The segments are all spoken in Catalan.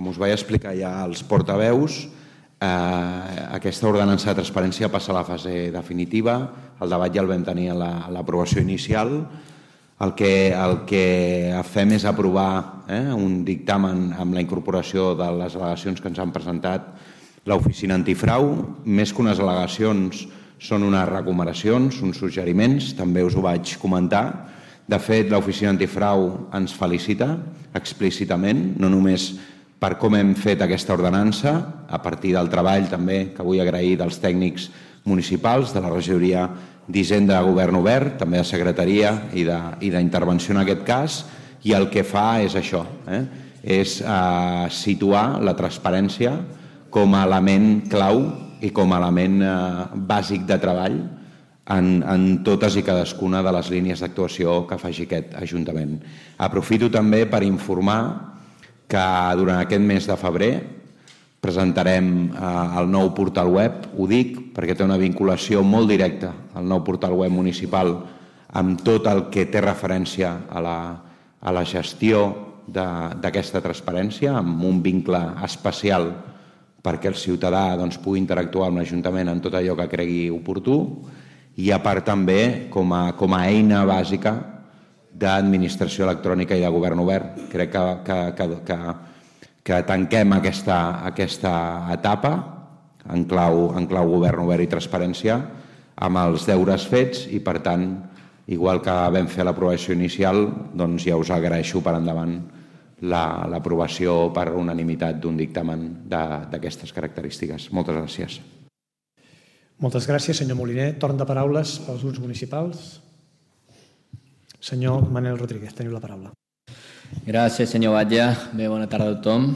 com us vaig explicar ja als portaveus, aquesta ordenança de transparència passa a la fase definitiva. El debat ja el vam tenir a l'aprovació inicial. El que fem és aprovar un dictamen amb la incorporació de les al·legacions que ens han presentat l'Oficina Antifrau. Més que unes al·legacions són unes recomanacions, uns suggeriments, també us ho vaig comentar. De fet, l'Oficina Antifrau ens felicita explícitament, no només per com hem fet aquesta ordenança, a partir del treball també que vull agrair dels tècnics municipals, de la regidoria d'Hisenda de Govern Obert, també de Secretaria i d'intervenció en aquest cas, i el que fa és això, és situar la transparència com a element clau i com a element bàsic de treball en totes i cadascuna de les línies d'actuació que faci aquest Ajuntament. Aprofito també per informar que durant aquest mes de febrer presentarem el nou portal web. Ho dic perquè té una vinculació molt directa al nou portal web municipal amb tot el que té referència a la gestió d'aquesta transparència, amb un vincle especial perquè el ciutadà pugui interactuar amb l'Ajuntament en tot allò que cregui oportú, i a part també com a eina bàsica d'administració electrònica i de govern obert. Crec que tanquem aquesta etapa en clau govern obert i transparència amb els deures fets i, per tant, igual que vam fer l'aprovació inicial, doncs ja us agraeixo per endavant l'aprovació per unanimitat d'un dictamen d'aquestes característiques. Moltes gràcies. Moltes gràcies, senyor Moliner. Torn de paraules pels grups municipals. Senyor Manel Rodríguez, teniu la paraula. Gràcies, senyor Batlle. Bé, bona tarda a tothom.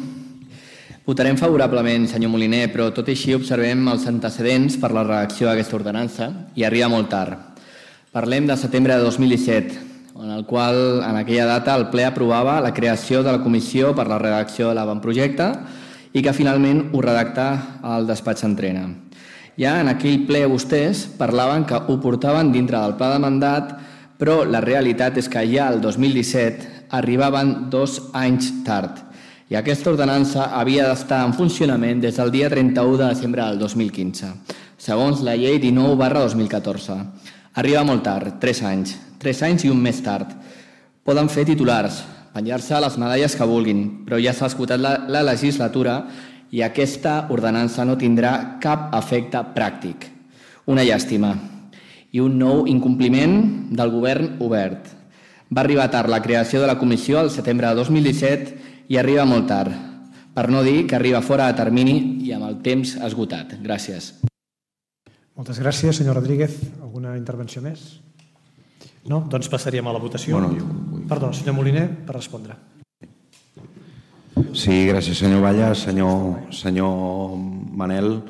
Votarem favorablement, senyor Moliner, però tot i així observem els antecedents per la redacció d'aquesta ordenança i arriba molt tard. Parlem de setembre de 2017, en el qual en aquella data el ple aprovava la creació de la comissió per la redacció de l'avantprojecte i que finalment ho redacta el despatx Entrena. Ja en aquell ple vostès parlaven que ho portaven dintre del pla de mandat, però la realitat és que ja el 2017 arribaven 2 anys tard i aquesta ordenança havia d'estar en funcionament des del dia 31 de desembre del 2015, segons la llei 19/2014. Arriba molt tard, 3 anys. 3 anys i un mes tard. Poden fer titulars, penjar-se les medalles que vulguin, però ja s'ha esgotat la legislatura i aquesta ordenança no tindrà cap efecte pràctic. Una llàstima. I un nou incompliment del govern obert. Va arribar tard la creació de la comissió al setembre de 2017 i arriba molt tard, per no dir que arriba fora de termini i amb el temps esgotat. Gràcies. Moltes gràcies, senyor Rodríguez. Alguna intervenció més? No? Doncs passaríem a la votació. Perdó, senyor Moliner, per respondre. Sí, gràcies, senyor Batlle. Senyor Manel,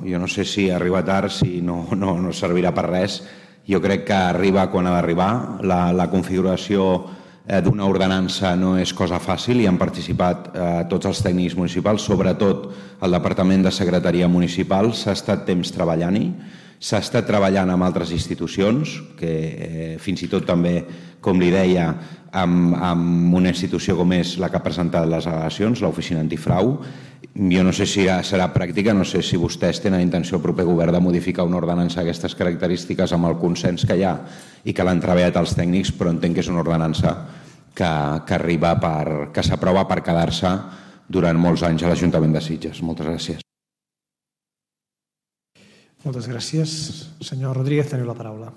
jo no sé si arriba tard, si no servirà per res. Jo crec que arriba quan ha d'arribar. La configuració d'una ordenança no és cosa fàcil i han participat tots els tècnics municipals, sobretot el Departament de Secretaria Municipal. S'ha estat temps treballant-hi. S'ha estat treballant amb altres institucions, que fins i tot també, com li deia, amb una institució com és la que ha presentat les al·legacions, l'Oficina Antifrau. Jo no sé si serà pràctica, no sé si vostès tenen intenció al proper govern de modificar una ordenança d'aquestes característiques amb el consens que hi ha i que l'han treballat els tècnics, però entenc que és una ordenança que s'aprova per quedar-se durant molts anys a l'Ajuntament de Sitges. Moltes gràcies. Moltes gràcies. Senyor Rodríguez, teniu la paraula.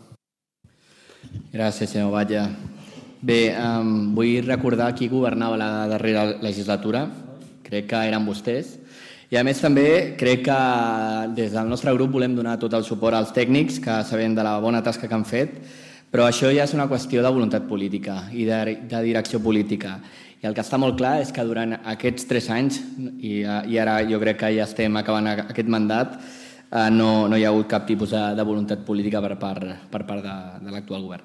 Gràcies, senyor Batlle. Bé, vull recordar qui governava la darrera legislatura. Crec que eren vostès. I a més també crec que des del nostre grup volem donar tot el suport als tècnics que sabem de la bona tasca que han fet, però això ja és una qüestió de voluntat política i de direcció política. I el que està molt clar és que durant aquests 3 anys, i ara jo crec que ja estem acabant aquest mandat, no hi ha hagut cap tipus de voluntat política per part de l'actual govern.